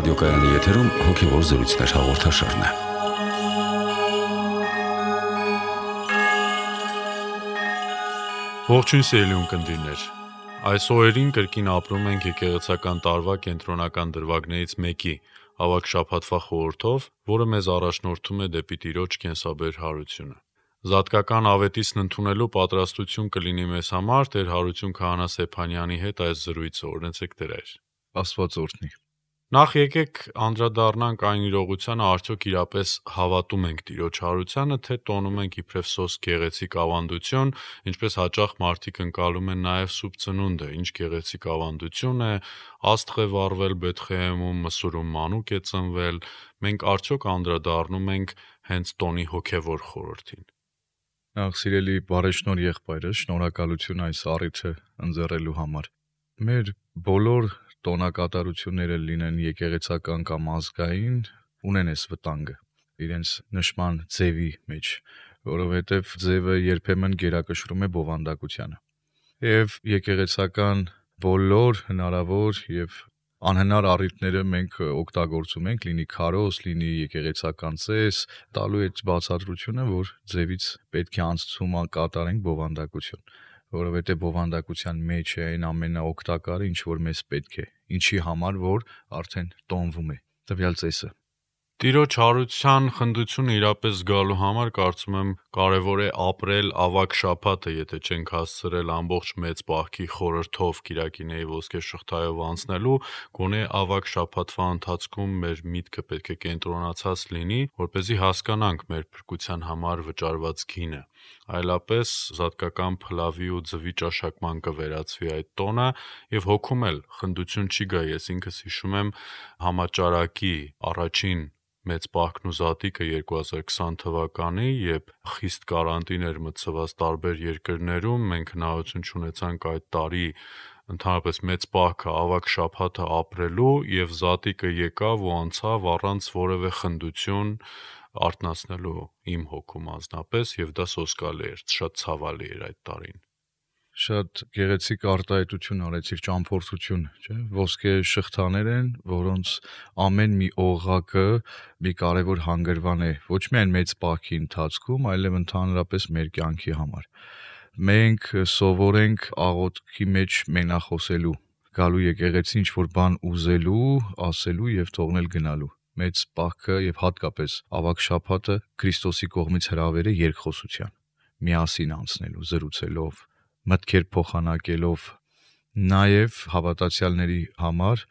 Ռադիոկայանի եթերում հոգևոր զրույցներ հաղորդաշարն է։ Ողջույն սիրելի ունկնդիրներ։ Այս օրերին կրկին ապրում ենք եկեղեցական տարվա կենտրոնական դրվագներից մեկի՝ ավագ շաբաթվա խորհրդով, որը մեզ առաջնորդում է դեպի Տիրոջ կենսաբեր հարությունը։ Զատկական ավետիցն ընդունելու պատրաստություն կլինի մեզ համար Տեր Հարություն Քահանա Սեփանյանի հետ այս զրույցը։ Օրհնեցեք Տեր Հայր։ Աստված օրհնի։ Նախ եկեք անդրադառնանք այն իրողությանը, արդյոք իրապես հավատում ենք Տիրոջ հարությանը, թե տոնում ենք իբրև սոս գեղեցիկ ավանդություն, ինչպես հաճախ մարդիկ ընկալում են նաև սուրբ ծնունդը, ինչ գեղեցիկ ավանդություն է, աստղ է վառվել Բեթխեհեմում, մսուրում մանուկ է ծնվել, մենք արդյոք անդրադառնում ենք հենց տոնի հոգևոր խորհրդին։ Նախ սիրելի բարեշնոր եղբայրս, շնորհակալություն այս առիթը ընձեռելու համար։ Մեր բոլոր տոնակատարությունները լինեն եկեղեցական կամ ազգային, ունեն այս վտանգը իրենց նշման ձևի մեջ, որովհետև ձևը երբեմն գերակշռում է բովանդակությանը։ Եվ եկեղեցական բոլոր հնարավոր եւ անհնար առիթները մենք օգտագործում ենք, լինի քարոզ, լինի եկեղեցական ծես, տալու այդ բացատրությունը, որ ձևից պետք է անցում կատարենք բովանդակություն, որովհետև բովանդակության մեջ է այն ամենաօգտակարը, ինչ որ մեզ պետք է, ինչի համար որ արդեն տոնվում է տվյալ ծեսը։ Տիրոջ հարության խնդությունը իրապես զգալու համար կարծում եմ կարևոր է ապրել ավագ շաբաթը, եթե չենք հասցրել ամբողջ մեծ պահքի խորհրդով Կիրակիների ոսկե շղթայով անցնելու, գոնե ավագ շաբաթվա ընթացքում մեր միտքը պետք է կենտրոնացած լինի, որպեսզի հասկանանք մեր փրկության համար վճարված գինը։ Այլապես զատկական փլավի ու ձվի ճաշակման կվերածվի այդ տոնը եւ հոգում էլ խնդություն չի գա։ Ես ինքս հիշում եմ համաճարակի առաջին մեծ պահքն ու զատիկը 2020 թվականի, երբ խիստ կարանտին էր մտցված տարբեր երկրներում, մենք հնարավորություն չունեցանք այդ տարի ընդհանրապես մեծ պահքը ավագ շաբաթը ապրելու եւ զատիկը եկավ ու անցավ առանց որևէ խնդություն արթնացնելու իմ հոգում անձնապես եւ դա սոսկալի էր, շատ ցավալի էր այդ տարին։ Շատ գեղեցիկ արտահայտություն արեցիր, ճամփորդություն, չէ՞։ Ոսկե շղթաներ են, որոնց ամեն մի օղակը մի կարևոր հանգրվան է, ոչ միայն մեծ պահքի ընթացքում, այլև ընդհանրապես մեր կյանքի համար։ Մենք սովորենք աղոթքի մեջ մենախոսելու, գալու եկեղեցի ինչ-որ բան ուզելու, ասելու եւ թողնել գնալու։ Մեծ պահքը եւ հատկապես ավագ շաբաթը Քրիստոսի կողմից հրավեր է երկխոսության, միասին անցնելու, զրուցելով, մտքեր փոխանակելով, նաև հավատացյալների համար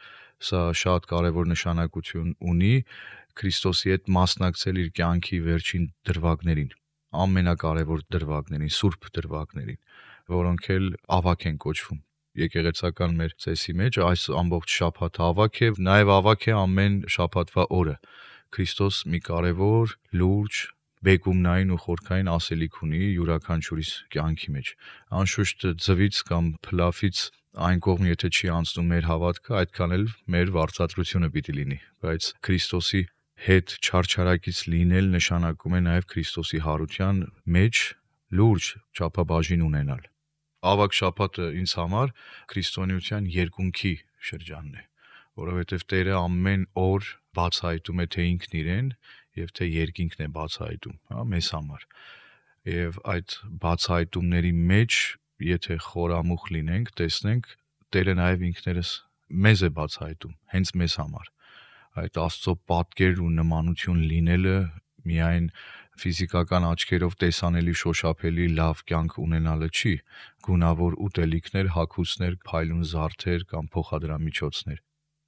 սա շատ կարևոր նշանակություն ունի Քրիստոսի հետ մասնակցել իր կյանքի վերջին դրվագներին, ամենակարևոր դրվագներին, սուրբ դրվագներին, որոնք էլ ավագ են կոչվում։ Եկեղեցական մեր ծեսի մեջ այս ամբողջ շաբաթը ավագ է, նաև ավագ է ամեն շաբաթվա օրը։ Քրիստոս մի կարևոր, լուրջ, բեկումնային ու խորքային ասելիք ունի յուրաքանչյուրիս կյանքի մեջ։ Անշուշտ ձվից կամ փլավից այն կողմ եթե չի անցնում մեր հավատքը, այդքան էլ մեր վարձատրությունը պիտի լինի, բայց Քրիստոսի հետ չարչարակից լինել նշանակում է նաև Քրիստոսի հարության մեջ լուրջ չափաբաժին ունենալ։ Ավագ շաբաթը ինձ համար քրիստոնեության երկունքի շրջանն է, որովհետև Տերը ամեն օր բացահայտում է թե ինքն իրեն եւ թե երկինքն է բացահայտում, մեզ համար։ Եվ այդ բացահայտումների մեջ, եթե խորամուխ լինենք, տեսնենք, Տերը նաև ինքներս մեզ է բացահայտում, հենց մեզ համար։ Այդ Աստծո պատկեր ու նմանություն լինելը միայն ֆիզիկական աչքերով տեսանելի շոշափելի լավ կյանք ունենալը չի, գունավոր ուտելիքներ, հագուստներ, փայլուն զարդեր կամ փոխադրամիջոցներ։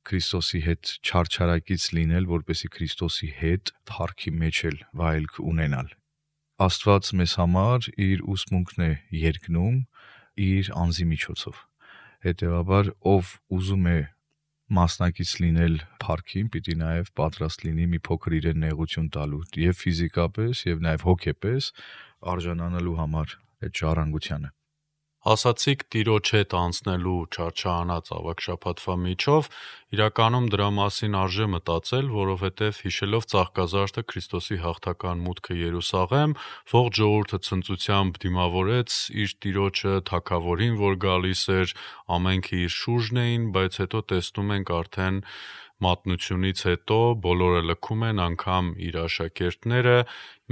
Քրիստոսի հետ չարչարակից լինել, որպեսզի Քրիստոսի հետ փառքի մեջ էլ վայելք ունենալ։ Աստված մեզ համար իր ուսմունքն է երկնում իր անձի միջոցով։ Հետևաբար, ով ուզում է մասնակից լինել փառքին, պիտի նաև պատրաստ լինի մի փոքր իրեն նեղություն տալու եւ ֆիզիկապես եւ նաև հոգեպես արժանանալու համար այդ ժառանգությանը։ Ասացիք Տիրոջ հետ անցնելու չարչարանած ավագ շաբաթվա միջով, իրականում դրա մասին արժե մտածել, որովհետև հիշելով Ծաղկազարդը Քրիստոսի հաղթական մուտքը Երուսաղեմ, ողջ ժողովուրդը ցնծությամբ դիմավորեց իր Տիրոջը, թագավորին, որ գալիս էր, ամենքը իր շուրջն էին, բայց հետո տեսնում ենք արդեն մատնությունից հետո բոլորը լքում են, անգամ իր աշակերտները,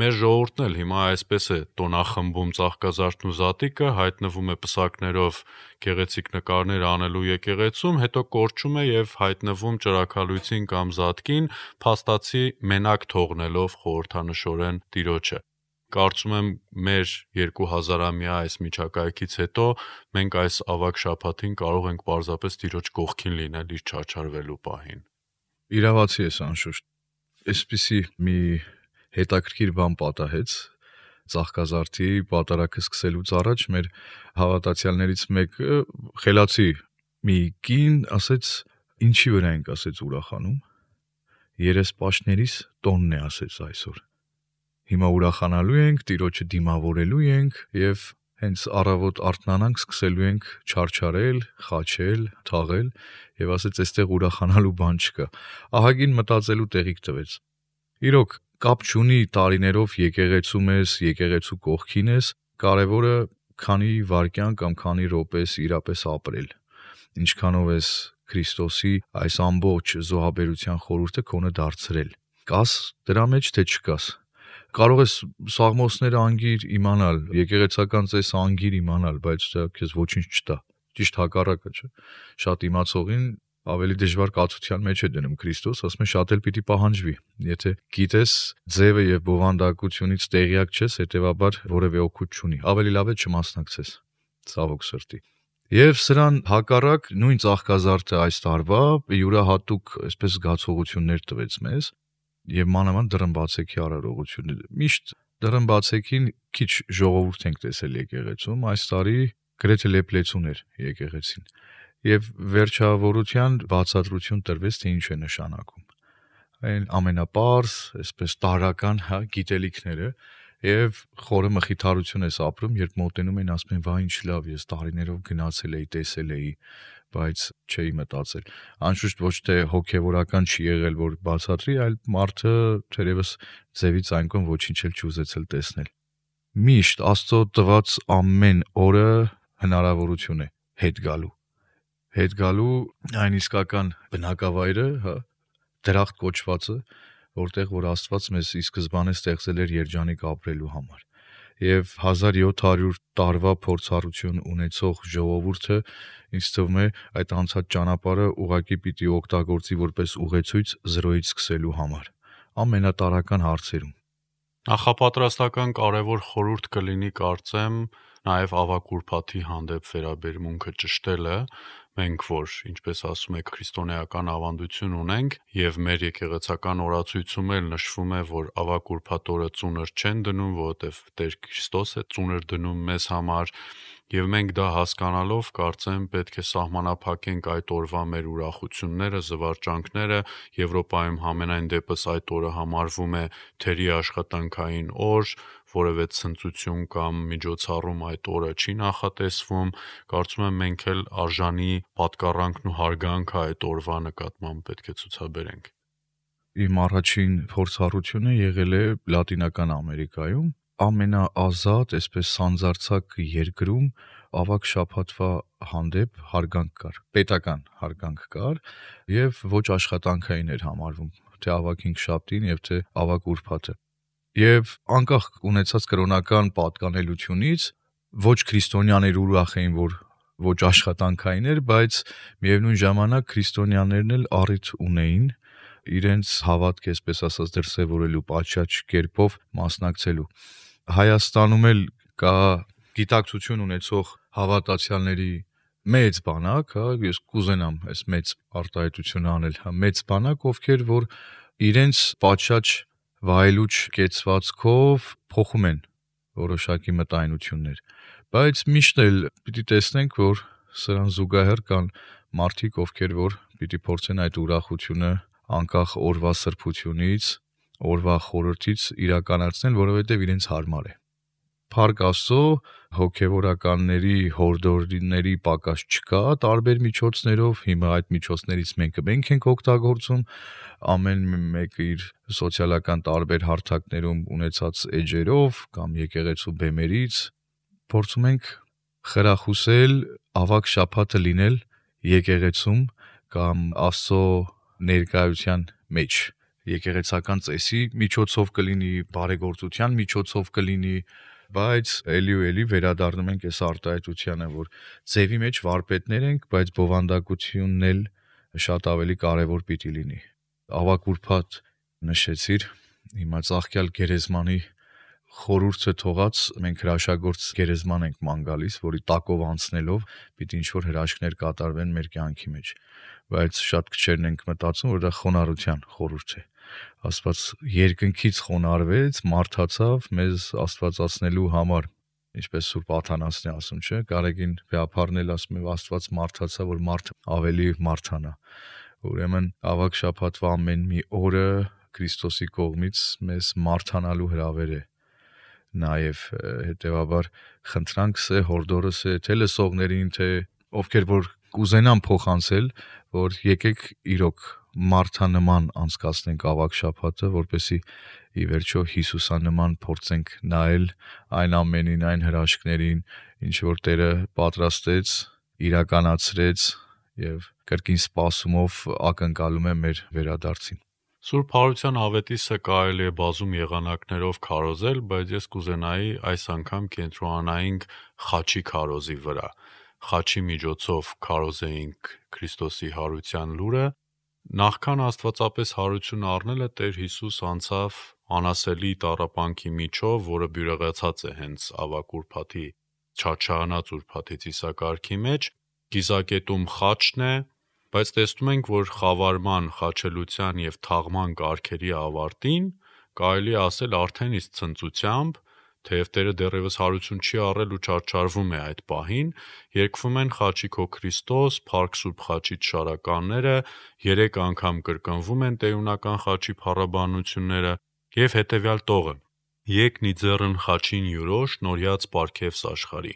մեր ժողովուրդն էլ հիմա այսպես է տոնախմբում Ծաղկազարդն ու Զատիկը, հայտնվում է պսակներով գեղեցիկ նկարներ անելու եկեղեցում, հետո կորչում է եւ հայտնվում ճրագալույցին կամ Զատկին, փաստացի մենակ թողնելով խորհրդանշորեն Տիրոջը։ Կարծում եմ մեր 2000-ամյա այս միջակայքից հետո մենք այս ավագ շաբաթին կարող ենք պարզապես Տիրոջ կողքին լինել իր չարչարվելու պահին։ Իրավացի ես անշուշտ։ Այսպիսի մի հետաքրքիր բան պատահեց Ծաղկազարդի պատարագը սկսելուց առաջ մեր հավատացյալներից մեկը խելացի մի կին ասեց ինչի վրա ենք ասեց ուրախանում երեսպաշտներիս տոնն է ասեց այսօր հիմա ուրախանալու ենք Տիրոջը դիմավորելու ենք եւ հենց առավոտ արթնանանք սկսելու ենք չարչարել, խաչել, թաղել եւ ասեց այստեղ ուրախանալու բան չկա։ Ահագին մտածելու տեղիք տվեց։ Իրոք կապ չունի տարիներով եկեղեցում ես, եկեղեցու կողքին ես, կարևորը քանի վայրկյան կամ քանի րոպես իրապես ապրել։ Ինչքանով ես Քրիստոսի այս ամբողջ զոհաբերության խորհուրդը քոնը դարձրել։ Կաս դրա մեջ թե չկաս։ Կարող ես սաղմոսները անգիր իմանալ, եկեղեցական ծես անգիր իմանալ, բայց դա քեզ ոչինչ չտա։ Ճիշտ հակառակը, չէ՞։ Շատ իմացողին ավելի դժվար կացության մեջ է դնում Քրիստոս, ասում է շատ էլ պիտի պահանջվի։ Եթե գիտես ձևը եւ բովանդակությունից տեղյակ չես, հետեւաբար որևէ օգուտ չունի։ Ավելի լավ է չմասնակցես։ Ցավոք սրտի։ Եվ սրան հակառակ նույն Ծաղկազարդը այս տարվա յուրահատուկ այսպես զգացողություններ տվեց մեզ եւ մանավանդ դռնբացեքի արարողությունը։ Միշտ դռնբացեքին քիչ ժողովուրդ ենք տեսել եկեղեցում, այս տարի գրեթե լեփլեցուն էր եկեղեցին։ Եվ վերջավորության բացատրություն տրվեց, թե ինչ է նշանակում։ Այն ամենապարզ, այսպես տարական, գիտելիքները եւ խորը մխիթարություն ես ապրում, երբ մոտենում են ասում են, «Վայ, ինչ լավ, ես տարիներով գնացել էի, տեսել էի, բայց չէի մտածել»։ Անշուշտ ոչ թե հոգեվորական չի եղել, որ բացատրի, այլ մարդը թերևս ձևից այն կողմ ոչինչ էլ չուզեցել տեսնել։ Միշտ Աստծո տված ամեն օրը հնարավորություն է հետ գալու այն իսկական բնակավայրը, դրախտ կոչվածը, որտեղ որ Աստված մեզ ի սկզբանե ստեղծել էր երջանիկ ապրելու համար։ Եվ 1700 տարվա փորձառություն ունեցող ժողովուրդը ինձ թվում է այդ անցած ճանապարհը ուղղակի պիտի օգտագործի որպես ուղեցույց զրոյից սկսելու համար ամենատարական հարցերում։ Նախապատրաստական կարևոր խորհուրդ կլինի կարծեմ նաև ավագ ուրբաթի հանդեպ վերաբերմունքը ճշտելը, մենք որ, ինչպես ասում եք, քրիստոնեական ավանդություն ունենք եւ մեր եկեղեցական օրացույցում էլ նշվում է, որ ավագ ուրբաթ օրը ծունր չեն դնում, որովհետեւ Տեր Քրիստոս է ծունր դնում մեզ համար եւ մենք դա հասկանալով կարծեմ պետք է սահմանափակենք այդ օրվա մեր ուրախությունները, զվարճանքները, Եվրոպայում համենայն դեպս այդ օրը համարվում է թերի աշխատանքային օր, որևէ ցնծություն կամ միջոցառում այդ օրը չի նախատեսվում, կարծում եմ մենք էլ արժանի պատկառանքն ու հարգանքը այդ օրվա նկատմամբ պետք է ցուցաբերենք։ Իմ առաջին փորձառությունը եղել է Լատինական Ամերիկայում, ամենաազատ, այսպես սանձարձակ երկրում ավագ շաբաթվա հանդեպ հարգանք կար, պետական հարգանք կար եւ ոչ աշխատանքային էր համարվում, թե ավագ 5 շաբթին եւ թե ավագ ուրբաթը։ Եվ անկախ ունեցած կրոնական պատկանելությունից ոչ քրիստոնյաներ ուրախ էին, որ ոչ աշխատանքային էր, բայց միևնույն ժամանակ քրիստոնյաներն էլ առիթ ունեին իրենց հավատք, այսպես ասած, դրսևորելու պատշաճ կերպով մասնակցելու։ Հայաստանում էլ կա գիտակցություն ունեցող հավատացյալների մեծ բանակ, ես կուզենամ այս մեծ արտահայտությունը անել, մեծ բանակ, ովքեր որ իրենց պատշաճ վայելուչ կեցվածքով փոխում են որոշակի մտայնություններ, բայց միշտ էլ պիտի տեսնենք, որ սրան զուգահեռ կան մարդիկ, ովքեր որ պիտի փորձեն այդ ուրախությունը անկախ օրվա սրբությունից, օրվա խորհրդից իրականացնել, որովհետև իրենց հարմար է։ Փառք Աստծո, հոգևորականների հորդորների պակաս չկա տարբեր միջոցներով, հիմա այդ միջոցներից մենք ենք օգտագործում, ամեն մեկը իր սոցիալական տարբեր հարթակներում ունեցած էջերով կամ եկեղեցու բեմերից փորձում ենք խրախուսել ավագ շաբաթը լինել եկեղեցում կամ Աստծո ներկայության մեջ եկեղեցական ծեսի միջոցով կլինի, բարեգործության միջոցով կլինի, բայց էլի ու էլի վերադառնում ենք այս արտահայտությանը, որ ձևի մեջ վարպետներ ենք, բայց բովանդակությունն էլ շատ ավելի կարևոր պիտի լինի։ Ավագ ուրբաթ նշեցիր, հիմա ծաղկյալ գերեզմանի խորհուրդը թողած մենք հրաշագործ գերեզման ենք ման գալիս, որի տակով անցնելով պիտի ինչ-որ հրաշքներ կատարվեն մեր կյանքի մեջ, բայց շատ քչերն ենք մտածում, որ դա խոնարհության խորհուրդ է։ Աստված երկնքից խոնարհվեց, մարդացավ մեզ աստվածացնելու համար, ինչպես Սուրբ Աթանասն է ասում, չէ՞, Գարեգին Բեափարն ասում է, Աստված մարդացավ, որ մարդը ավելի մարդանա։ Ուրեմն ավագ շաբաթվա ամեն մի օրը Քրիստոսի կողմից մեզ մարդանալու հրավեր է։ Նաև հետևաբար խնդրանք սե հորդորս է թե լսողներին, թե ովքեր որ կուզենան փոխանցել, որ եկեք իրոք մարդանման անցկացնենք ավագ շաբաթը, որպեսզի ի վերջո Հիսուսանման փորձենք նայել այն ամենին, այն հրաշքներին, ինչ որ Տերը պատրաստեց, իրականացրեց եւ կրկին սպասումով ակնկալում է մեր վերադարձին։ Սուրբ Հարության ավետիսը կարելի է բազում եղանակներով քարոզել, բայց ես կուզենայի այս անգամ կենտրոնանայինք խաչի քարոզի վրա։ Խաչի միջոցով քարոզեինք Քրիստոսի հարության լուրը։ Նախքան աստվածապես հարություն առնելը Տեր Հիսուս անցավ անասելի տառապանքի միջով, որը բյուրեղացած է հենց ավագ ուրբաթի չարչարանած ուրբաթի ծիսակարգի մեջ, կիզակետում խաչն է, բայց տեսնում ենք, որ խավարման, խաչելության եւ թաղման կարգերի ավարտին կարելի է ասել արդեն իսկ ցնծությամբ, թեև Տերը դեռևս հարություն չի առել ու չարչարվում է այդ պահին, երգվում են Խաչի քո Քրիստոս, Փառք Սուրբ Խաչի շարականները, 3 անգամ կրկնվում են տեյունական խաչի փառաբանությունները եւ հետեւյալ տողը. Եկնի ձեռն խաչին յուրո շնորհյաց պարգևս աշխարհի։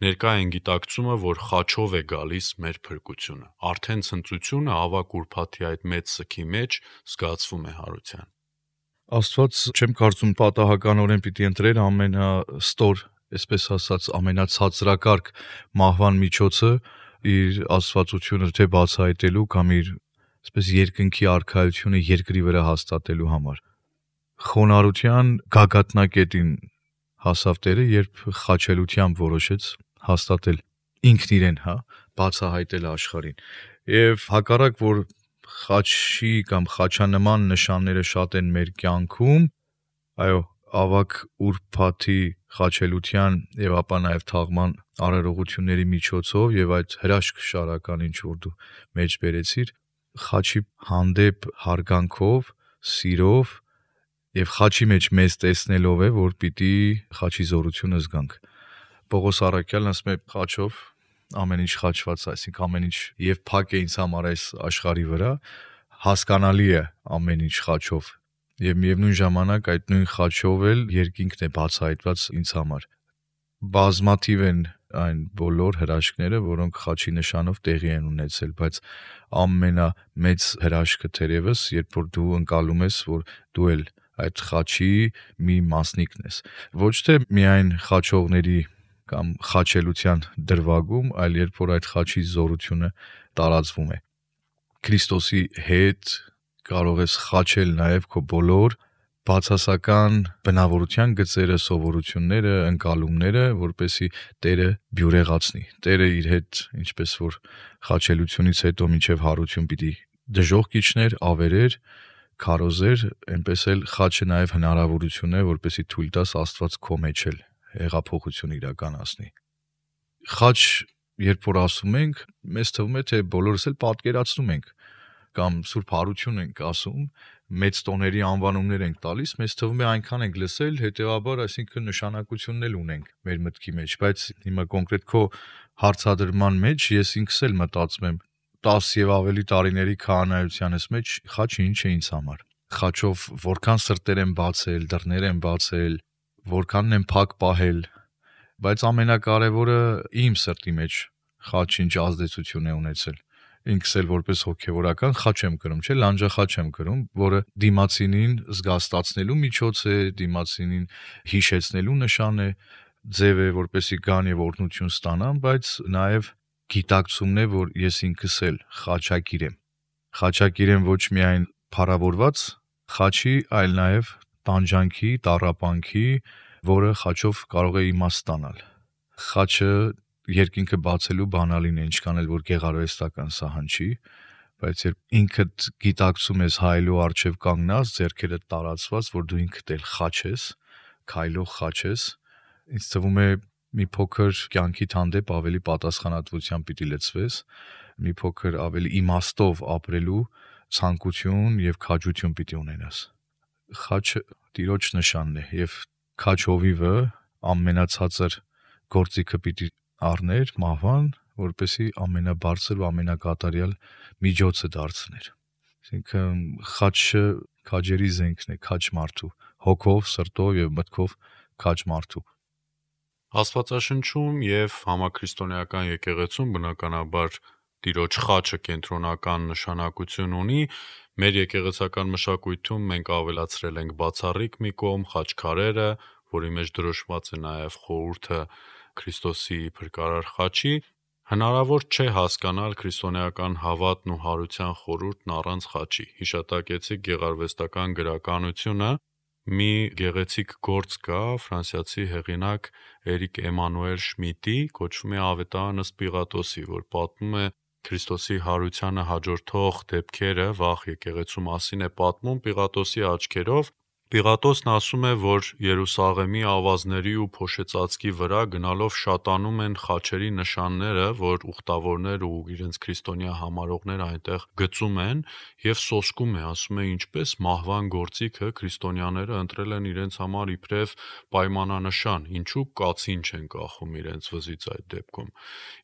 Ներկա են գիտակցումը, որ խաչով է գալիս մեր փրկությունը։ Արդեն ցնծությունը ավագ ուրբաթի այդ մեծ սքի մեջ զգացվում է հարության։ Աստված չեմ կարծում պատահականորեն պիտի ընտրեր ամենաստոր, այսպես ասած, ամենացածրակարգ մահվան միջոցը իր աստվածությունը թե բացահայտելու կամ իր այսպես երկնքի արքայությունը երկրի վրա հաստատելու համար։ Խոնարհության գագաթնակետին հասավ Տերը, երբ խաչելությամբ որոշեց հաստատել ինքն իրեն, բացահայտել աշխարհին։ Եվ հակառակ որ խաչի կամ խաչանման նշանները շատ են մեր կյանքում, այո, ավագ ուրբաթի խաչելության եւ ապա նաեւ թաղման արարողությունների միջոցով եւ այդ հրաշք շարական ինչ որ դու մեջ բերեցիր, խաչի հանդեպ հարգանքով, սիրով եւ խաչի մեջ մեզ տեսնելով է, որ պիտի խաչի զորությունը զգանք։ Պողոս առաքյալն ասում է խաչով ամեն ինչ խաչված, այսինքն ամեն ինչ եւ փակ է ինձ համար այս աշխարհի վրա, հասկանալի է ամեն ինչ խաչով եւ միևնույն ժամանակ այդ նույն խաչով էլ երկինքն է բացահայտված ինձ համար։ Բազմաթիվ են այն բոլոր հրաշքները, որոնք խաչի նշանով տեղի են ունեցել, բայց ամենամեծ հրաշքը թերևս, երբ որ դու ընկալում ես, որ դու էլ այդ խաչի մի մասնիկն ես, ոչ թե միայն խաչողների կամ խաչելության դրվագում, այլ երբ որ այդ խաչի զորությունը տարածվում է։ Քրիստոսի հետ կարող ես խաչել նաև քո բոլոր բացասական բնավորության գծերը, սովորությունները, ընկալումները, որպեսզի Տերը բյուրեղացնի։ Տերը իր հետ, ինչպես որ խաչելությունից հետո մինչև հարություն պիտի դժոխք իջներ, ավերեր, քարոզեր, այնպես էլ խաչը նաև հնարավորություն է, որպեսզի թույլ տաս Աստված քո մեջ էլ հեղափոխություն իրականացնի։ Խաչ, երբ որ ասում ենք, մեզ թվում է, թե բոլորս էլ պատկերացնում ենք կամ Սուրբ Հարություն ենք ասում, մեծ տոների անվանումներ ենք տալիս, մեզ թվում է այնքան ենք լսել, հետեւաբար, այսինքն նշանակությունն էլ ունենք մեր մտքի մեջ, բայց հիմա կոնկրետ քո հարցադրման մեջ ես ինքս էլ մտածում եմ 10 եւ ավելի տարիների քահանայությանս մեջ խաչը ինչ է ինձ համար։ Խաչով որքան սրտեր եմ բացել, դռներ եմ բացել, որքանն եմ փակ պահել, բայց ամենակարևորը իմ սրտի մեջ խաչը ինչ ազդեցություն է ունեցել։ Ինքս էլ որպես հոգևորական խաչ եմ կրում, չէ՞, լանջախաչ եմ կրում, որը դիմացինին զգաստացնելու միջոց է, դիմացինին հիշեցնելու նշան է, ձև է, որպեսի գան եւ օրհնություն ստանան, բայց նաեւ գիտակցումն է, որ ես ինքս էլ խաչակիր եմ։ Խաչակիրեն ոչ միայն փառավորված խաչի, այլ նաև տանջանքի, տառապանքի, որը խաչով կարող է իմաստ ստանալ։ Խաչը երկինքը բացելու բանալին է, ինչքան էլ որ գեղարվեստական սահան չի, բայց երբ ինքդ գիտակցում ես հայելու առջև կանգնած, ձեռքերը տարածված, որ դու ինքդ էլ խաչ ես, քայլող խաչ ես, ինձ թվում է մի փոքր կյանքիդ հանդեպ ավելի պատասխանատվությամբ պիտի լցվես, մի փոքր ավելի իմաստով ապրելու ցանկություն եւ քաջություն պիտի ունենաս։ Խաչը Տիրոջ նշանն է եւ քաչ հովիվը ամենացածր գործիքը պիտի առներ մահվան, որպեսի ամենաբարձր ու ամենակատարյալ միջոցը դարձներ։ Այսինքն խաչը քաջերի զենքն է, քաչ մարդու, հոգով, սրտով եւ մտքով քաչ մարդու։ Աստվածաշնչում եւ համաքրիստոնեական եկեղեցում բնականաբար Տիրոջ խաչը կենտրոնական նշանակություն ունի։ Մեր եկեղեցական մշակույթում մենք ավելացրել ենք բացառիկ մի կողմ խաչքարերը, որի մեջ դրոշված է նաև խորհուրդը Քրիստոսի փրկարար խաչի։ Հնարավոր չէ հասկանալ քրիստոնեական հավատն ու հարության խորհուրդն առանց խաչի։ Հիշատակեցիք գեղարվեստական գրականությունը, մի գեղեցիկ գործ կա ֆրանսիացի հեղինակ Էրիկ Էմանուել Շմիդտի, կոչվում է Ավետարան ըստ Պիղատոսի, որ պատմում է Քրիստոսի հարությանը հաջորդող դեպքերը, վաղ եկեղեցու մասին է պատմում Պիղատոսի աչքերով։ Պիղատոսն ասում է, որ Երուսաղեմի ավազների ու փոշեցածկի վրա գնալով շատանում են խաչերի նշանները, որ ուխտավորներ ու իրենց քրիստոնյա համարողներ այնտեղ գծում են եւ սոսկում է, ասում է ինչպես մահվան գործիքը քրիստոնյաները ընտրել են իրենց համար իբրև պայմանանշան, ինչու կացին չեն կախում իրենց վզից այդ դեպքում։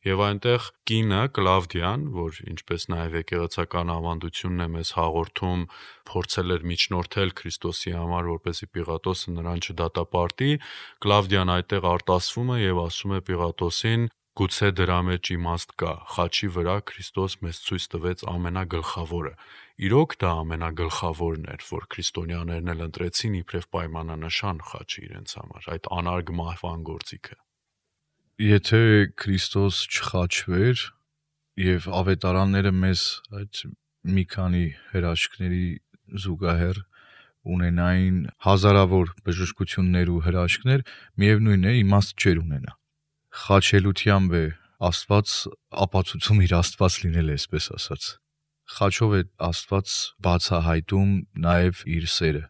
Եվ այնտեղ կինը Կլավդիան, որ ինչպես նաև եկեղեցական ավանդությունն է մեզ հաղորդում, փորձել էր միջնորդել Քրիստոսի համար, որպեսզի Պիղատոսը նրան չդատապարտի, Կլավդիան այդտեղ արտասվում է եւ ասում է Պիղատոսին. գուցե դրա մեջ իմաստ կա, խաչի վրա Քրիստոս մեզ ցույց տվեց ամենագլխավորը։ Իրոք դա ամենագլխավորն էր, որ քրիստոնյաներն էլ ընտրեցին իբրև պայմանանշան խաչի իրենց համար, այդ անարգ մահվան գործիքը։ Եթե Քրիստոս չխաչվեր եւ ավետարանները մեզ այդ մի քանի հրաշքների զուգահեռ ունենային հազարավոր բժշկություններ ու հրաշքներ, միևնույն է իմաստ չէր ունենա։ Խաչելությամբ է Աստված ապացուցում իր Աստված լինել, այսպես ասած։ Խաչով է Աստված բացահայտում նաև իր սերը։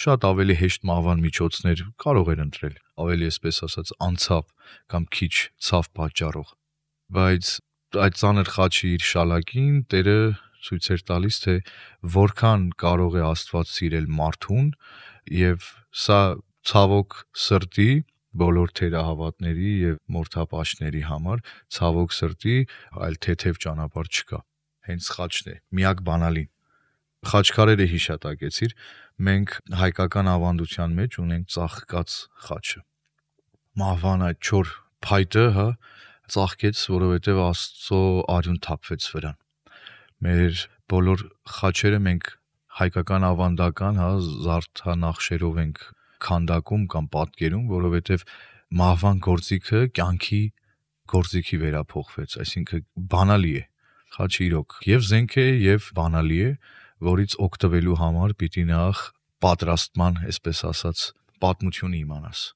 Շատ ավելի հեշտ մահվան միջոցներ կարող էր ընտրել, ավելի այսպես ասած անցավ կամ քիչ ցավ պատճառող, բայց այդ ծանր խաչի իր շալակին Տերը ցույց էր տալիս, թե որքան կարող է Աստված սիրել մարդուն, եւ սա ցավոք սրտի բոլոր թերահավատների եւ մորթապաշտների համար ցավոք սրտի այլ թեթև ճանապարհ չկա։ Հենց խաչն է, միակ բանալին։ Խաչքարերը հիշատակեցիր, մենք հայկական ավանդության մեջ ունենք ծաղկած խաչը։ Մահվան այդ չոր փայտը, ծաղկեց, որովհետև Աստծո արյուն թափվեց վրան։ Մեր բոլոր խաչերը մենք հայկական ավանդական, զարդանախշերով ենք քանդակում կամ պատկերում, որովհետև մահվան գործիքը կյանքի գործիքի վերափոխվեց, այսինքն բանալի է։ Խաչը իրոք եւ զենք է եւ բանալի է, որից օգտվելու համար պիտի նախ պատրաստման, այսպես ասած, պատմությունը իմանաս։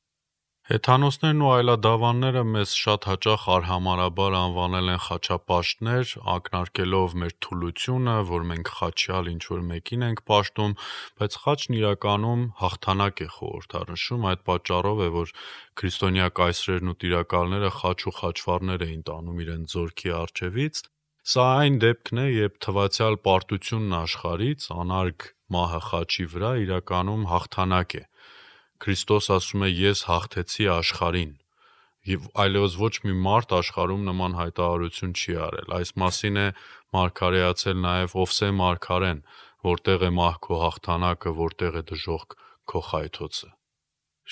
Հեթանոսներն ու այլադավանները մեզ շատ հաճախ արհամարհաբար անվանել են խաչապաշտներ, ակնարկելով մեր թուլությունը, որ մենք խաչյալ ինչ-որ մեկին ենք պաշտում, բայց խաչն իրականում հաղթանակ է խորհրդանշում, այդ պատճառով է, որ քրիստոնյա կայսրերն ու տիրակալները խաչ ու խաչվառներ էին տանում իրենց զորքի առջևից։ Սա այն դեպքն է, երբ թվացյալ պարտությունն աշխարհից, անարգ մահը խաչի վրա իրականում հաղթանակ է։ Քրիստոս ասում է ես հաղթեցի աշխարհին եւ այլևս ոչ մի մարդ աշխարհում նման հայտարարություն չի արել։ Այս մասին է մարգարեացել նաեւ Ովսե մարգարեն, որտեղ է մահ քո հաղթանակը, որտեղ է դժոխք քո խայթոցը։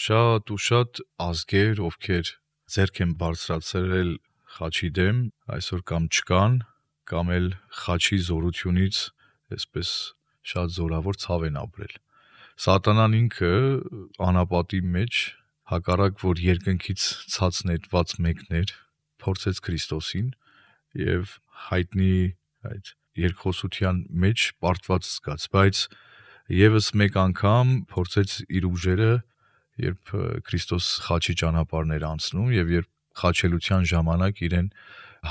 Շատ ու շատ ազգեր, ովքեր ձեռք են բարձրացրել խաչի դեմ, այսօր կամ չկան, կամ էլ խաչի զորությունից այսպես շատ զորավոր ցավ են ապրել։ Սատանան ինքը անապատի մեջ հակառակ որ երկնքից ցած նետված մեկներ փորձեց Քրիստոսին եւ հայտնի այդ երկխոսության մեջ պարտված զգաց, բայց եւս մեկ անգամ փորձեց իր ուժերը, երբ Քրիստոս խաչի ճանապարհներ անցնում եւ երբ խաչելության ժամանակ իրեն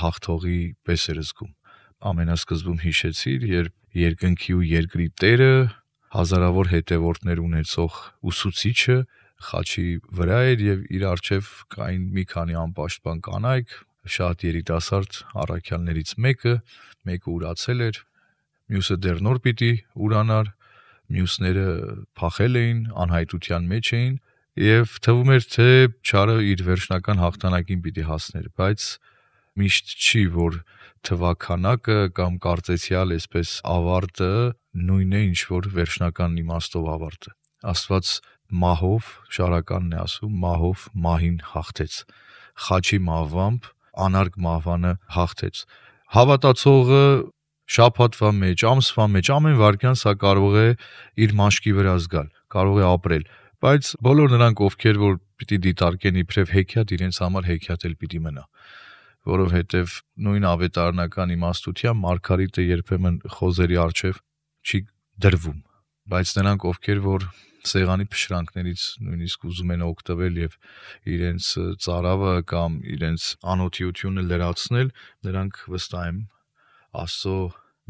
հաղթողի պես էր զգում։ Ամենասկզբում հիշեցիր, երբ երկնքի ու երկրի Տերը, հազարավոր հետևորդներ ունեցող ուսուցիչը խաչի վրա էր եւ իր առջեւ կային մի քանի անպաշտպան կանայք, շատ երիտասարդ առաքյալներից մեկը ուրացել էր, մյուսը դեռ նոր պիտի ուրանար, մյուսները փախել էին, անհայտության մեջ էին եւ թվում էր թե չարը իր վերջնական հաղթանակին պիտի հասներ, բայց միշտ չի, որ թվականակը կամ կարծեցյալ այսպես ավարտը նույնն է, ինչ որ վերջնական իմաստով ավարտը։ Աստված մահով, շարականն է ասում, մահով մահին հաղթեց, խաչի մահվամբ անարգ մահվանը հաղթեց։ Հավատացողը շաբաթվա մեջ, ամսվա մեջ, ամեն վայրկյան սա կարող է իր մաշկի վրա զգալ, կարող է ապրել, բայց բոլոր նրանք, ովքեր որ պիտի դիտարկեն իբրև հեքիաթ, իրենց համար հեքիաթ էլ պիտի մնա, որովհետև նույն ավետարանական իմաստությամբ Մարգարիտը երբեմն խոզերի առջև չի դրվում, բայց նրանք, ովքեր որ սեղանի փշրանքներից նույնիսկ ուզում են օգտվել եւ իրենց ծարավը կամ իրենց անօթիությունը լրացնել, նրանք վստահ եմ Աստծո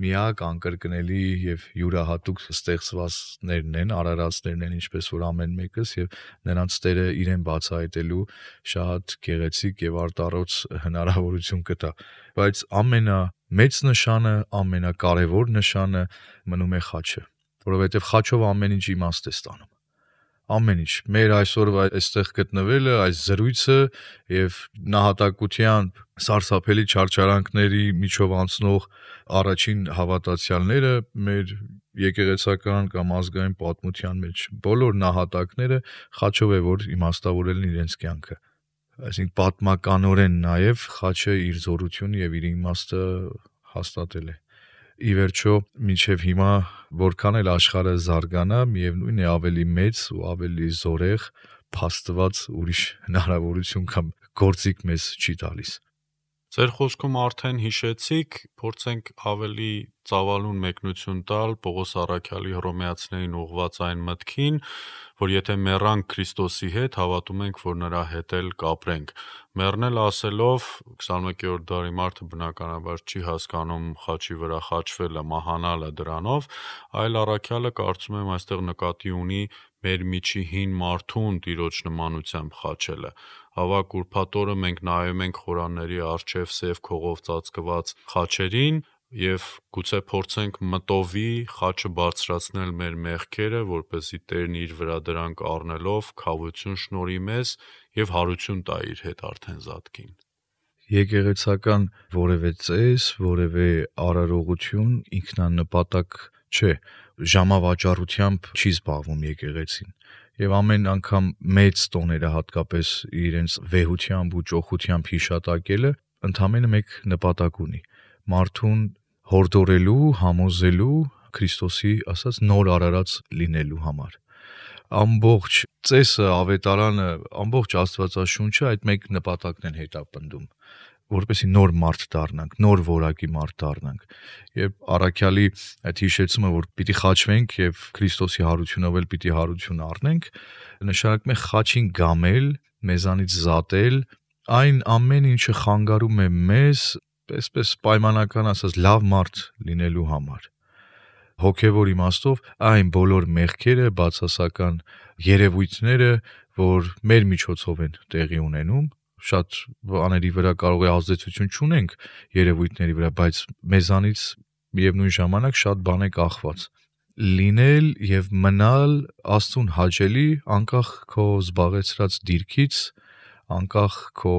միակ անկրկնելի եւ յուրահատուկ ստեղծվածներն են, արարածներն են, ինչպես որ ամեն մեկս եւ նրանց Տերը իրեն բացահայտելու շատ գեղեցիկ եւ արտառոց հնարավորություն կտա, բայց ամենամեծ նշանը, ամենակարևոր նշանը մնում է խաչը, որովհետեւ խաչով ամեն ինչ իմաստ է ստանում։ Ամեն ինչ, մեր այսօրվա այստեղ գտնվելը, այս զրույցը եւ նահատակությամբ սարսափելի չարչարանքների միջով անցնող առաջին հավատացյալները մեր եկեղեցական կամ ազգային պատմության մեջ բոլոր նահատակները խաչով է որ իմաստավորել են իրենց կյանքը։ Այսինքն պատմականորեն նաեւ խաչը իր զորությունը եւ իր իմաստը հաստատել է։ Ի վերջո, մինչև հիմա որքան էլ աշխարհը զարգանա, միևնույն է ավելի մեծ ու ավելի զորեղ փաստված ուրիշ հնարավորություն կամ գործիք մեզ չի տալիս։ Ձեր խոսքում արդեն հիշեցիք, փորձենք ավելի ծավալուն մեկնություն տալ Պողոս առաքյալի Հռոմեացիներին ուղղված այն մտքին, որ եթե մեռանք Քրիստոսի հետ, հավատում ենք, որ նրա հետ էլ կապրենք։ Մեռնել ասելով 21-րդ դարի մարդը բնականաբար չի հասկանում խաչի վրա խաչվելը, մահանալը դրանով, այլ առաքյալը կարծում եմ այստեղ նկատի ունի մեր միջի հին մարդուն Տիրոջ նմանությամբ խաչելը։ Ավակ ուրբաթ օրը մենք նայում ենք խորանների առջև սև քողով ծածկված խաչերին եւ գուցե փորձենք մտովի խաչը բարձրացնել մեր մեղքերը, որպեսզի Տերն իր վրա դրանք առնելով քավություն շնորհի մեզ եւ հարություն տա իր հետ արդեն զատկին։ Եկեղեցական որևէ ծես, որևէ արարողություն ինքնանպատակ չէ, ժամավաճառությամբ չի զբաղվում եկեղեցին։ Եվ ամեն անգամ մեծ տոները հատկապես իրենց վեհությամբ ու ճոխությամբ հիշատակելը ընդամենը մեկ նպատակ ունի՝ մարդուն հորդորելու, համոզելու Քրիստոսի ասած նոր արարած լինելու համար։ Ամբողջ ծեսը, ավետարանը, ամբողջ Աստվածաշունչը այդ մեկ նպատակն են հետապնդում, որպեսզի նոր մարդ դառնանք, նոր որակի մարդ դառնանք։ Երբ առաքյալի այդ հիշեցումը, որ պիտի խաչվենք եւ Քրիստոսի հարությունով էլ պիտի հարություն առնենք, նշանակում է խաչին գամել, մեզանից զատել այն ամեն ինչը խանգարում է մեզ, այսպես պայմանական ասած, լավ մարդ լինելու համար։ Հոգևոր իմաստով այն բոլոր մեղքերը, բացասական երևույթները, որ մեր միջոցով են տեղի ունենում, շատ բաների վրա կարող է ազդեցություն չունենք երևույթների վրա, բայց մեզանից միևնույն ժամանակ շատ բան է կախված։ Լինել եւ մնալ Աստծուն հաճելի անկախ քո զբաղեցրած դիրքից, անկախ քո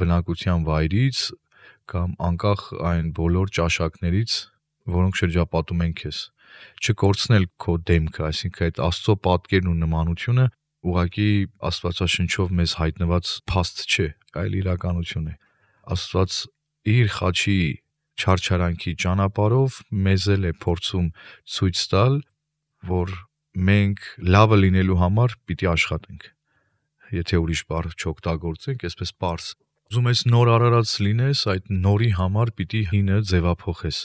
բնակության վայրից կամ անկախ այն բոլոր ճաշակներից, որոնք շրջապատում են քեզ։ Չկորցնել քո դեմքը, այսինքն այդ Աստծո պատկերն ու նմանությունը ուղղակի Աստվածաշնչով մեզ հայտնված փաստ չէ, այլ իրականություն է։ Աստված իր խաչի չարչարանքի ճանապարհով մեզ էլ է փորձում ցույց տալ, որ մենք լավը լինելու համար պիտի աշխատենք։ Եթե ուրիշ բառ չօգտագործենք, այսպես պարզ։ Ուզում ես նոր արարած լինես, այդ նորի համար պիտի հինը ձևափոխես։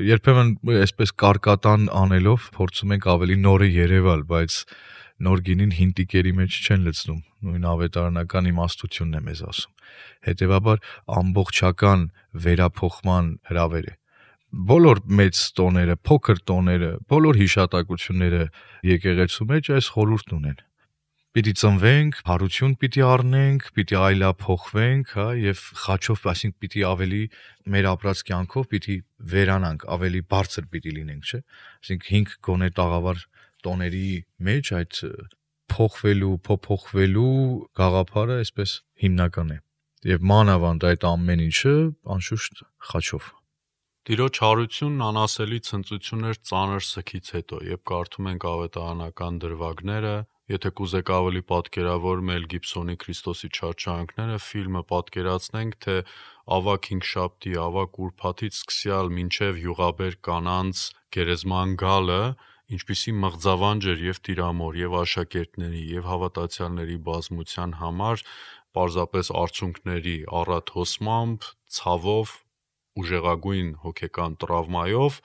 երբեմն այսպես կարկատան անելով փորձում ենք ավելի նորը երևալ, բայց նոր գինին հին տիկերի մեջ չեն լցնում, նույն ավետարանական իմաստությունն է մեզ ասում։ Հետևաբար ամբողջական վերափոխման հրավեր է։ Բոլոր մեծ տոները, փոքր տոները, բոլոր հիշատակությունները եկեղեցու մեջ այս խորհուրդն ունեն։ Պիտի ծնվենք, հարություն պիտի առնենք, պիտի այլափոխվենք, եւ խաչով, այսինքն պիտի ավելի մեր ապրած կյանքով պիտի վերանանք, ավելի բարձր պիտի լինենք, չէ՞։ Այսինքն 5 գոնե տաղավար տոների մեջ այդ փոխվելու գաղափարը այսպես հիմնական է։ Եվ մանավանդ այդ ամեն ինչը անշուշտ խաչով։ Տիրոջ հարությունն անասելի ցնծություն էր ծանր սգից հետո, երբ կարդում ենք ավետարանական դրվագները, եթե կուզեք ավելի պատկերավոր Մել Գիբսոնի Քրիստոսի չարչարանքները ֆիլմը պատկերացնենք, թե ավագ հինգշաբթի, ավագ ուրբաթից սկսյալ մինչև յուղաբեր կանանց գերեզման գալը, ինչպիսի մղձավանջ էր եւ տիրամոր, եւ աշակերտների, եւ հավատացյալների բազմության համար պարզապես արցունքների առատ հոսմամբ, ցավով, ուժեղագույն հոգեկան տրավմայով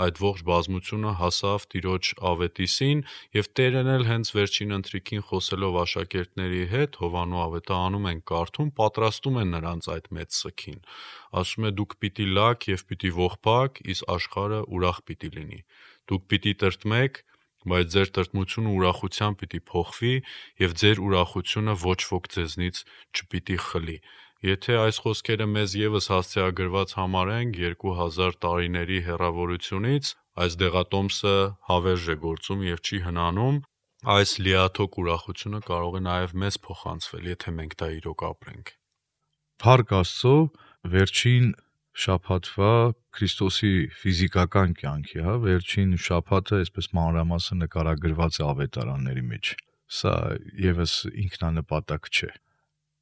այդ ողջ բազմությունը հասավ Տիրոջ ավետիսին եւ Տերն էլ հենց վերջին ընթրիքին խոսելով աշակերտների հետ Հովանու ավետարանում են կարդում, պատրաստում են նրանց այդ մեծ սգին։ Ասում է դուք պիտի լաք եւ պիտի ողբաք, իսկ աշխարհը ուրախ պիտի լինի։ Դուք պիտի տրտմեք, բայց ձեր տրտմությունը ուրախությամբ պիտի փոխվի եւ ձեր ուրախությունը ոչ ոք ձեզնից չպիտի խլի։ Եթե այս խոսքերը մեզ եւս հասցեագրված համարենք 2000 տարիների հեռավորությունից, այս դեղատոմսը հավերժ է գործում եւ չի հնանում, այս լիաթոք ուրախությունը կարող է նաեւ մեզ փոխանցվել, եթե մենք դա իրոք ապրենք։ Փառք Աստծո, վերջին շաբաթվա Քրիստոսի ֆիզիկական կյանքի, վերջին շաբաթը այսպես մանրամասն նկարագրված է ավետարանների մեջ։ Սա եւս ինքնանպատակ չէ,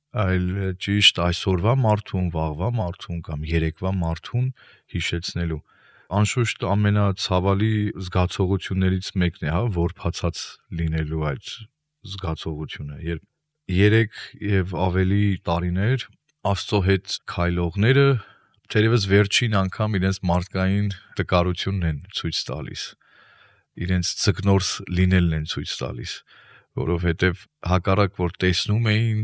այլ ճիշտ այսօրվա մարդուն, վաղվա մարդուն կամ երեկվա մարդուն հիշեցնելու։ Անշուշտ ամենացավալի զգացողություններից մեկն է, որբացած լինելու այդ զգացողությունը, երբ 3 եւ ավելի տարիներ Աստծո հետ քայլողները թերևս վերջին անգամ իրենց մարդկային տկարությունն են ցույց տալիս, իրենց ցկնորս լինելն են ցույց տալիս, որովհետեւ հակառակ որ տեսնում էին,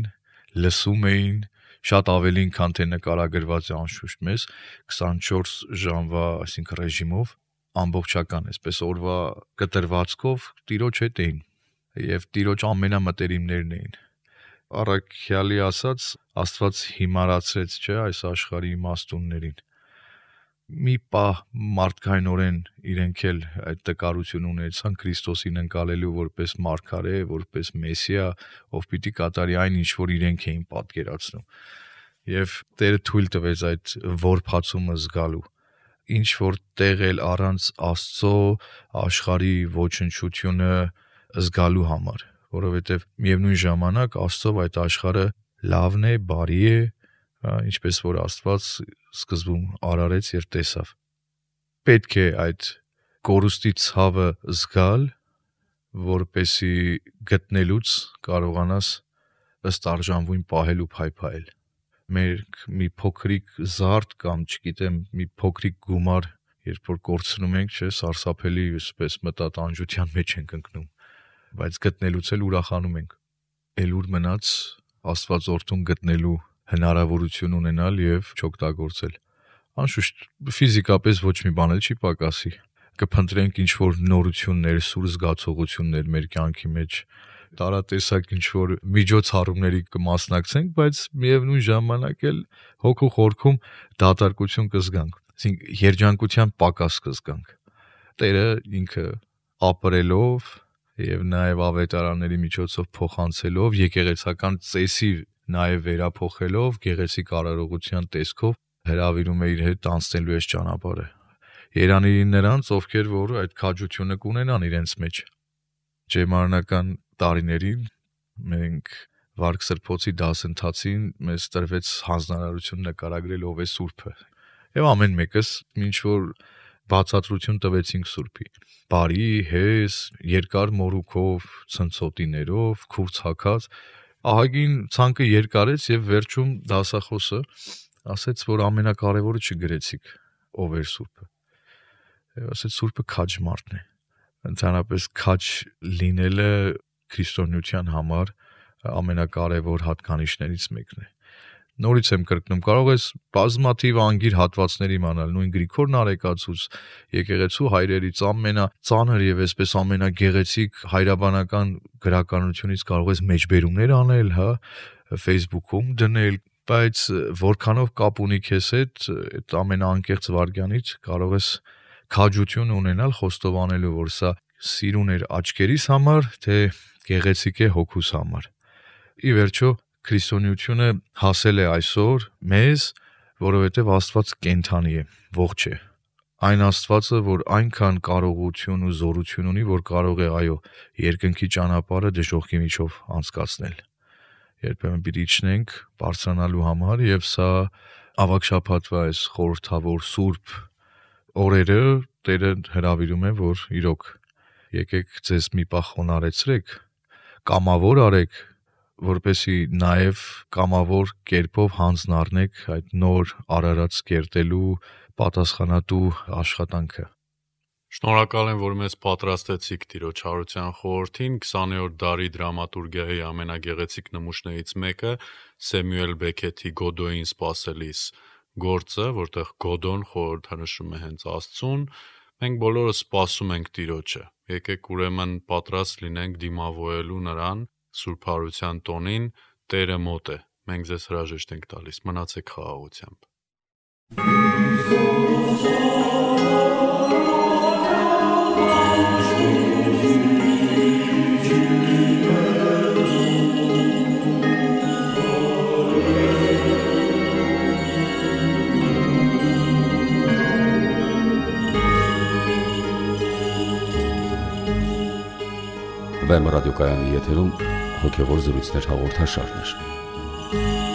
լսում էին շատ ավելին, քան թե նկարագրված է անշուշտ մեզ 24 ժամվա, այսինքն ռեժիմով, ամբողջական, այսպես օրվա կտրվածքով Տիրոջ հետ էին եւ Տիրոջ ամենամտերիմներն էին։ Առաքյալի ասած, Աստված հիմարացրեց, չէ, այս աշխարհի իմաստուններին։ Մի պահ մարդկայնորեն իրենք էլ այդ տկարություն ունեցան Քրիստոսին ընկալելու որպես մարգարե, որպես Մեսիա, ով պիտի կատարի այն, ինչ որ իրենք էին պատկերացնում։ Եվ Տերը թույլ տվեց այդ որբացումը զգալու։ Ինչ որ տեղ էլ առանց Աստծո աշխարհի ոչնչությունը զգալու համար, որովհետև միևնույն ժամանակ Աստծո այդ աշխարհը լավն է, բարի է, ինչպես որ Աստված սկզբում արարեց եւ տեսավ։ Պետք է այդ կորուստի ցավը զգալ, որպեսի գտնելուց կարողանաս ըստ արժանվույն պահել ու փայփայել։ Մենք մի փոքրիկ զարդ կամ, չգիտեմ, մի փոքրիկ գումար, երբ որ կորցնում ենք, չէ, սարսափելի այսպես մտատանջության մեջ ենք ընկնում, բայց գտնելուց էլ ուրախանում ենք։ Էլ ուր մնաց Աստվածորդուն գտնելու հնարավորություն ունենալ եւ չօգտագործել։ Անշուշտ ֆիզիկապես ոչ մի բան էլ չի պակասի։ Կփնտրենք ինչ որ նորություններ, սուր զգացողություններ մեր կյանքի մեջ, տարատեսակ ինչ որ միջոցառումների կմասնակցենք, բայց միևնույն ժամանակ էլ հոգու խորքում դատարկություն կզգանք, այսինքն երջանկության պակաս կզգանք։ Տերը ինքը ապրելով եւ նաեւ ավետարանների միջոցով փոխանցելով, եկեղեցական ծեսի նաեւ վերափոխելով, գեղեցիկ արարողության տեսքով հրավիրում է իր հետ անցնելու այս ճանապարհը։ Երանին նրանց, ովքեր որ այդ քաջությունը կունենան իրենց մեջ։ Ջերմանական տարիներին մենք Վարք Սրբոցի դասընթացին մեզ տրվեց հանձնարարություն նկարագրել ով է Սուրբը։ Եվ ամեն մեկս ինչ որ բացատրություն տվեցինք Սուրբի։ Բարի, հես, երկար մորուքով, ցնցոտիներով, քուրձ ահագին ցանկը երկարեց եւ վերջում դասախոսը ասեց, որ ամենակարևորը չգրեցիք ով էր Սուրբը։ Եվ ասեց Սուրբը քաջ մարդն է։ Ընդհանրապես քաջ լինելը քրիստոնեության համար ամենակարևոր հատկանիշներից մեկն է։ Նորից եմ կրկնում, կարող ես բազմաթիվ անգիր հատվածներ իմանալ, նույն Գրիգոր Նարեկացուց, եկեղեցու հայրերից ամենածանր եւ այսպես ամենագեղեցիկ հայրաբանական գրականությունից կարող ես մեջբերումներ անել, հա, Facebook-ում դնել, բայց որքանով կապ ունի քեզ հետ, այդ ամենաանկեղծ վարքյանից կարող ես քաջություն ունենալ խոստովանելու, որ սա սիրուն էր աչքերիս համար, թե գեղեցիկ է հոգուս համար։ Ի վերջո քրիստոնեությունը հասել է այսօր մեզ, որովհետև Աստված կենդանի է, ողջ է։ Այն Աստվածը, որ այնքան կարողություն ու զորություն ունի, որ կարող է, այո, երկնքի ճանապարհը դժոխքի միջով անցկացնել։ Երբեմն պիտի իջնենք բարձրանալու համար, եւ սա ավագ շաբաթվա այս խորհրդավոր սուրբ օրերը Տերը հրավիրում է, որ իրոք եկեք ձեզ մի պահ խոնարհեցրեք, կամավոր արեք, որպեսի նաև կամավոր կերպով հանձն առնեք այդ նոր արարած կերտելու պատասխանատու աշխատանքը։ Շնորհակալ եմ, որ մեզ պատրաստեցիք Տիրոջ հարության խորհրդին 20-րդ դարի դրամատուրգիայի ամենագեղեցիկ նմուշներից մեկը Սեմյուել Բեքեթի Գոդոյին սպասելիս գործը, որտեղ Գոդոն խորհրդանշում է հենց Աստծուն, մենք բոլորը սպասում ենք Տիրոջը։ Եկեք ուրեմն պատրաստ լինենք դիմավորելու նրան Սուրբ Հարության տոնին, Տերը մոտ է։ Մենք ձեզ հրաժեշտ ենք տալիս։ Մնացեք խաղաղությամբ։ Վեմ ռադիոկայանի եթերում հոգևոր զրույցներ հաղորդաշարներ։